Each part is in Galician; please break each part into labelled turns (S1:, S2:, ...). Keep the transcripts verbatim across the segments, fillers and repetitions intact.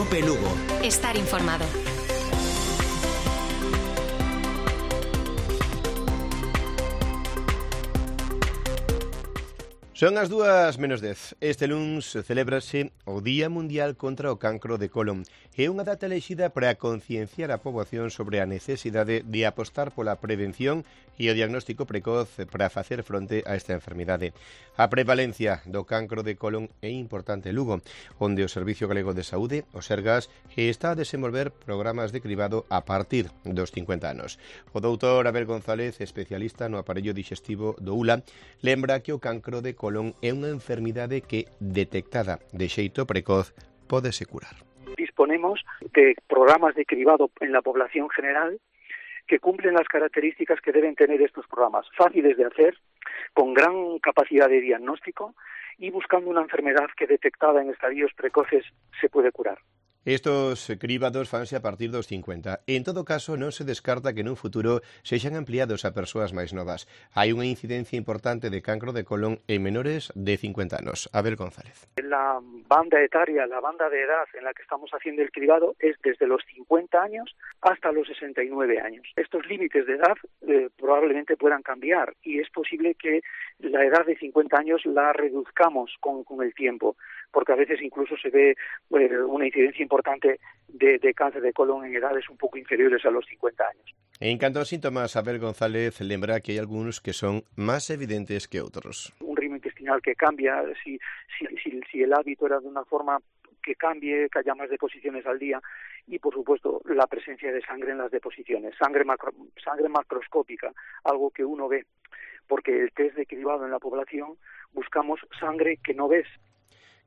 S1: Cope Lugo.
S2: Estar informado.
S3: Son as dúas menos dez. Este luns celébrase o Día Mundial contra o Cancro de Colon. É unha data elexida para concienciar a poboación sobre a necesidade de apostar pola prevención e o diagnóstico precoz para facer fronte a esta enfermidade. A prevalencia do cancro de colon é importante en Lugo, onde o Servicio Galego de Saúde, o Sergas, está a desenvolver programas de cribado a partir dos cincuenta anos. O doutor Abel González, especialista no aparello digestivo do U L A, lembra que o cancro de colon é unha enfermidade que, detectada de xeito precoz, pódese curar.
S4: Disponemos de programas de cribado en la población general que cumplen las características que deben tener estos programas, fáciles de hacer, con gran capacidad de diagnóstico y buscando una enfermedad que detectada en estadios precoces se puede curar.
S3: Estos cribados fanse a partir dos cincuenta. En todo caso, non se descarta que nun futuro sexan ampliados a persoas máis novas. Hai unha incidencia importante de cancro de colon en menores de cincuenta anos. Abel González.
S4: La banda etaria, la banda de edad en la que estamos haciendo el cribado es desde los cincuenta años hasta los sesenta y nueve años. Estos límites de edad eh, probablemente puedan cambiar y es posible que la edad de cincuenta años la reduzcamos con, con el tiempo, porque a veces incluso se ve eh, una incidencia importante de, de cáncer de colon en edades un poco inferiores a los cincuenta años.
S3: En canto aos síntomas, Abel González lembra que hai algúns que son máis evidentes que outros.
S4: Un ritmo intestinal que cambia, si, si, si, si el hábito era de una forma que cambie, que haya más deposiciones al día y, por supuesto, la presencia de sangre en las deposiciones, sangre, macro, sangre macroscópica, algo que uno ve, porque el test de cribado en la población buscamos sangre que no ves.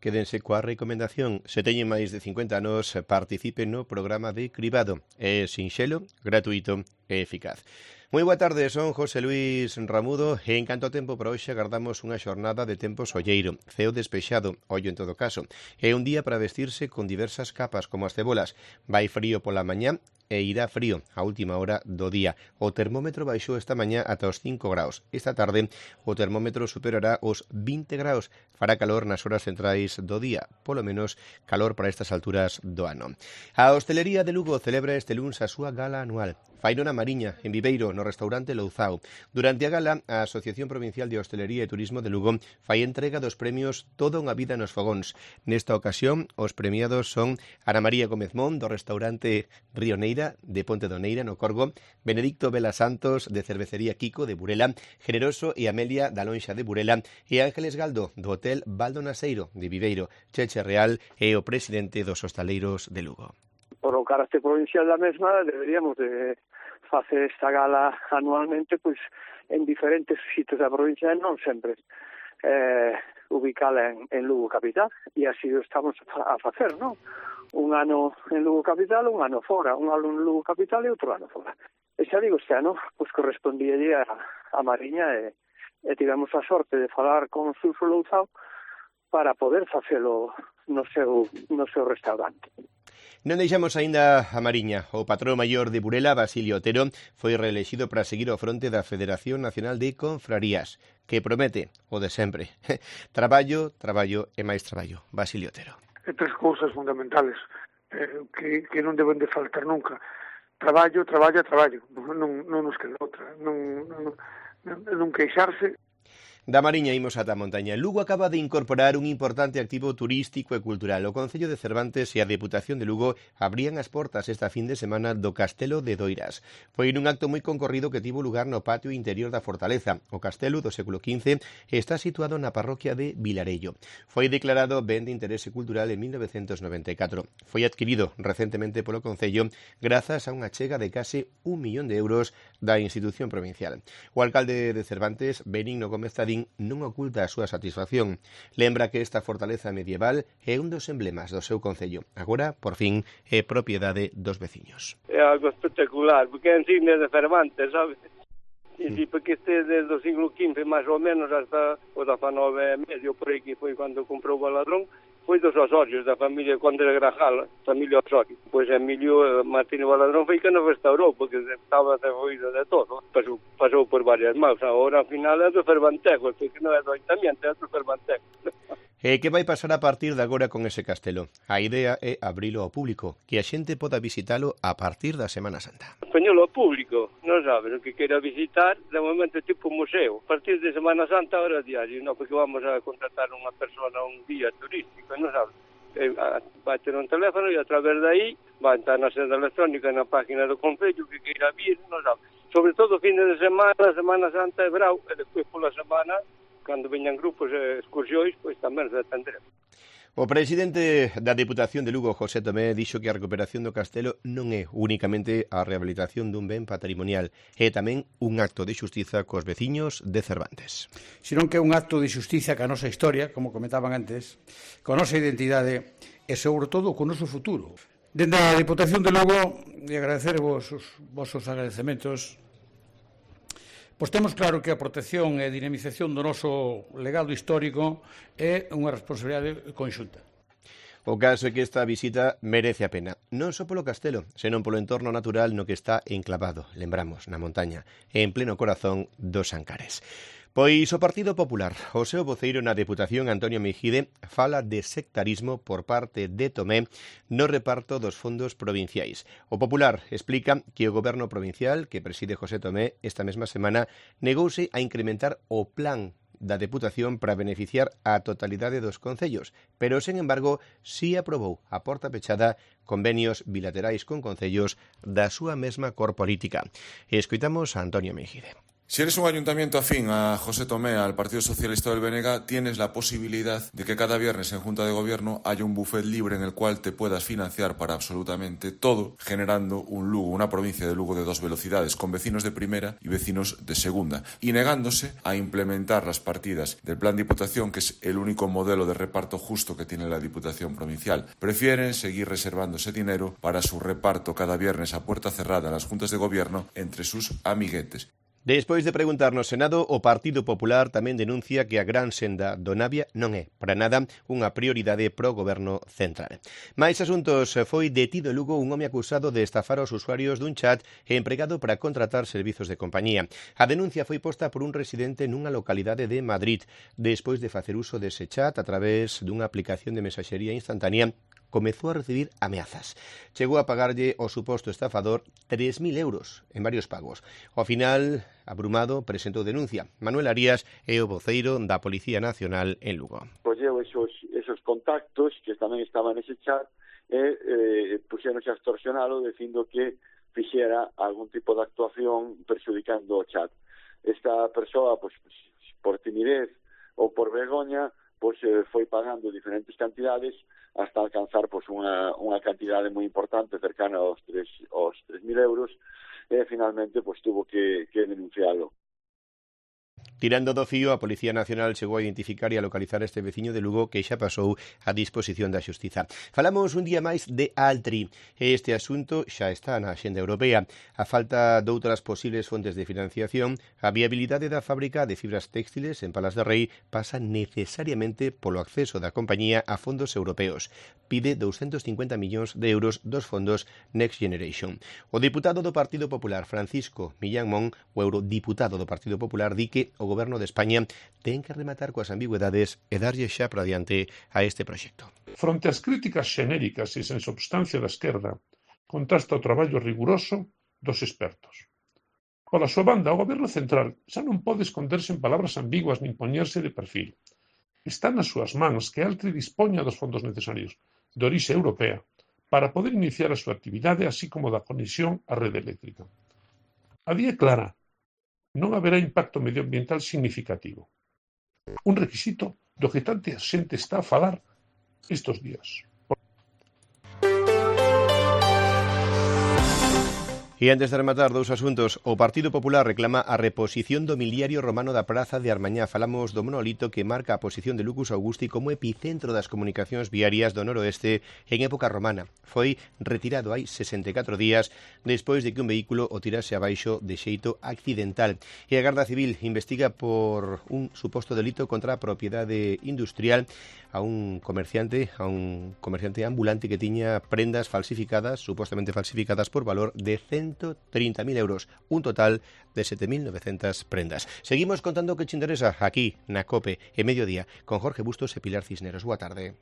S3: Quédense coa recomendación. Se teñen máis de cincuenta anos, participen no programa de cribado. É sinxelo, gratuito e eficaz. Moi boa tarde, son José Luis Ramudo e en canto a tempo para hoxe agardamos unha xornada de tempo solleiro, ceo despexado, ollo en todo caso. É un día para vestirse con diversas capas como as cebolas. Vai frío pola mañá e irá frío a última hora do día. O termómetro baixou esta mañá ata os cinco graus. Esta tarde o termómetro superará os vinte graus. Fará calor nas horas centrais do día, polo menos calor para estas alturas do ano. A hostelería de Lugo celebra este luns a súa gala anual. Faino na Mariña, en Viveiro, no restaurante Louzao. Durante a gala, a Asociación Provincial de Hostelería e Turismo de Lugo fai entrega dos premios Toda unha vida nos fogóns. Nesta ocasión, os premiados son Ana María Gómez Mon, do restaurante Río Neira, de Ponte do Neira, no Corgo, Benedicto Vela Santos, de Cervecería Kiko, de Burela, Generoso e Amelia, da Lonxa de Burela, e Ángeles Galdo, do Hotel Baldo Naseiro, de Viveiro, Cheche Real, e o presidente dos hostaleiros de Lugo.
S5: Por o carácter provincial da mesma, deberíamos de facer esta gala anualmente pois en diferentes sitios da provincia, non sempre eh, ubicala en, en Lugo Capital, e así o estamos a facer, non? Un ano en Lugo Capital, un ano fora, un ano en Lugo Capital e outro ano fora. E xa digo, este ano, pois correspondía a, a Mariña e, e tivemos a sorte de falar con Sulfo Louzao para poder facelo no seu, no seu restaurante.
S3: Non deixamos aínda a Mariña. O patrón maior de Burela, Basilio Otero, foi reelexido para seguir ao fronte da Federación Nacional de Confrarías, que promete o de sempre. Traballo, traballo e máis traballo. Basilio Otero.
S6: E tres cousas fundamentales eh, que, que non deben de faltar nunca. Traballo, traballo, traballo. Non, non nos queda outra. Non, non, non, non queixarse.
S3: Da Mariña imos ata a montaña. Lugo acaba de incorporar un importante activo turístico e cultural. O Concello de Cervantes e a Deputación de Lugo abrían as portas esta fin de semana do Castelo de Doiras. Foi nun acto moi concorrido que tivo lugar no patio interior da fortaleza. O castelo do século quince está situado na parroquia de Vilarello. Foi declarado ben de interese cultural en mil novecentos noventa e catro. Foi adquirido recentemente polo Concello grazas a unha achega de case un millón de euros da institución provincial. O alcalde de Cervantes, Benigno Gómez Tadín, non oculta a súa satisfacción. Lembra que esta fortaleza medieval é un dos emblemas do seu concello. Agora, por fin, é propiedade dos veciños.
S7: É algo espectacular, porque é insignia de Cervantes, sabes? E sí, porque este desde o siglo quince, máis ou menos, hasta o dezenove e medio, por aí que foi cando comprou o Baladrón, foi dos Osorios, da familia Conde de Grajal, familia Osorio. Pois Emilio Martínez Baladrón foi que nos restaurou, porque estaba derruído de todo. Pasou, pasou por varias mãos. Agora, ao final, é do Cervantejo, porque non é do Ayuntamiento, é do Cervantejo.
S3: E que vai pasar a partir de agora con ese castelo? A idea é abrilo ao público, que a xente poda visitalo a partir da Semana Santa.
S7: Poñelo ao público, non sabes, o que queira visitar, de momento é tipo museo. A partir de Semana Santa, hora diario, non, porque vamos a contratar unha persona, un guía turístico, non sabes. Vai ter un teléfono e a través de aí vai entrar na senda electrónica na página do Concello que queira vir, non sabes. Sobre todo fin de semana, Semana Santa e Brau, e despois pola semana, cando veñan grupos e excursións, pois tamén se atendremos.
S3: O presidente da Deputación de Lugo, José Tomé, dixo que a recuperación do castelo non é únicamente a rehabilitación dun ben patrimonial, é tamén un acto de xustiza cos veciños de Cervantes.
S1: Senón que é un acto de xustiza ca nosa historia, como comentaban antes, coa nosa identidade e, sobre todo, co noso futuro. Dende a Deputación de Lugo, e agradecer vos os vosos agradecementos, pois temos claro que a protección e a dinamización do noso legado histórico é unha responsabilidade conxunta.
S3: O caso é que esta visita merece a pena, non só polo castelo, senón polo entorno natural no que está enclavado, lembramos, na montaña, en pleno corazón dos Ancares. Pois o Partido Popular, o seu voceiro na Deputación, Antonio Mejide, fala de sectarismo por parte de Tomé no reparto dos fondos provinciais. O Popular explica que o Goberno provincial, que preside José Tomé, esta mesma semana, negouse a incrementar o plan da Deputación para beneficiar a totalidade dos concellos, pero, sen embargo, si aprobou a porta pechada convenios bilaterais con concellos da súa mesma cor política. E escoitamos a Antonio Mejide.
S2: Si eres un ayuntamiento afín a José Tomé, al Partido Socialista del B N G, tienes la posibilidad de que cada viernes en Junta de Gobierno haya un buffet libre en el cual te puedas financiar para absolutamente todo, generando un Lugo, una provincia de Lugo de dos velocidades, con vecinos de primera y vecinos de segunda, y negándose a implementar las partidas del Plan Diputación, que es el único modelo de reparto justo que tiene la Diputación provincial. Prefieren seguir reservando ese dinero para su reparto cada viernes a puerta cerrada en las Juntas de Gobierno entre sus amiguetes.
S3: Despois de preguntar no Senado, o Partido Popular tamén denuncia que a gran senda do Navia non é, para nada, unha prioridade pro Goberno central. Mais asuntos, foi detido en Lugo un home acusado de estafar aos usuarios dun chat empregado para contratar servizos de compañía. A denuncia foi posta por un residente nunha localidade de Madrid, despois de facer uso dese chat a través dunha aplicación de mensaxería instantánea. Comezou a recibir ameazas. Chegou a pagarlle ao suposto estafador tres mil euros en varios pagos. Ao final, abrumado, presentou denuncia. Manuel Arias é o voceiro da Policía Nacional en Lugo.
S8: Colleu esos, esos contactos que tamén estaban nese chat e eh, puxeronse a extorsionalo dicindo que fixera algún tipo de actuación perxudicando o chat. Esta persoa, pues, por timidez ou por vergoña, pois eh, foi pagando diferentes cantidades hasta alcanzar pois unha unha cantidade moi importante, cercana aos tres aos tres mil euros, e finalmente pois tuvo que que denuncialo.
S3: Tirando do fío, a Policía Nacional chegou a identificar e a localizar este veciño de Lugo que xa pasou a disposición da Xustiza. Falamos un día máis de Altri. Este asunto xa está na axenda europea. A falta de outras posibles fontes de financiación, a viabilidade da fábrica de fibras textiles en Palas de Rei pasa necesariamente polo acceso da compañía a fondos europeos. Pide doscientos cincuenta millóns de euros dos fondos Next Generation. O diputado do Partido Popular, Francisco Millán Mon, o eurodiputado do Partido Popular, di que o Goberno de España ten que rematar coas ambigüedades e darlle xa para diante a este proxecto.
S9: Fronte ás críticas xenéricas e sen substancia da esquerda, contrasta o traballo riguroso dos expertos. Pola súa banda, o Goberno central xa non pode esconderse en palabras ambiguas nin poñerse de perfil. Está nas súas mans que Altri dispoña dos fondos necesarios de orixe europea para poder iniciar a súa actividade, así como da conexión á rede eléctrica. A día clara, non haberá impacto medioambiental significativo. Un requisito do que tanta xente está a falar estes días.
S3: E antes de rematar dous asuntos, o Partido Popular reclama a reposición do miliario romano da Praza de Armañá. Falamos do monolito que marca a posición de Lucus Augusti como epicentro das comunicacións viarias do noroeste en época romana. Foi retirado hai sesenta e catro días despois de que un vehículo o tirase abaixo de xeito accidental. E a Garda Civil investiga por un suposto delito contra a propiedade industrial a un comerciante, a un comerciante ambulante que tiña prendas falsificadas, supostamente falsificadas por valor de cento ciento treinta mil euros, un total de sete mil novecientas prendas. Seguimos contando que te interesa aquí, na COPE, en mediodía, con Jorge Bustos e Pilar Cisneros. Boa tarde.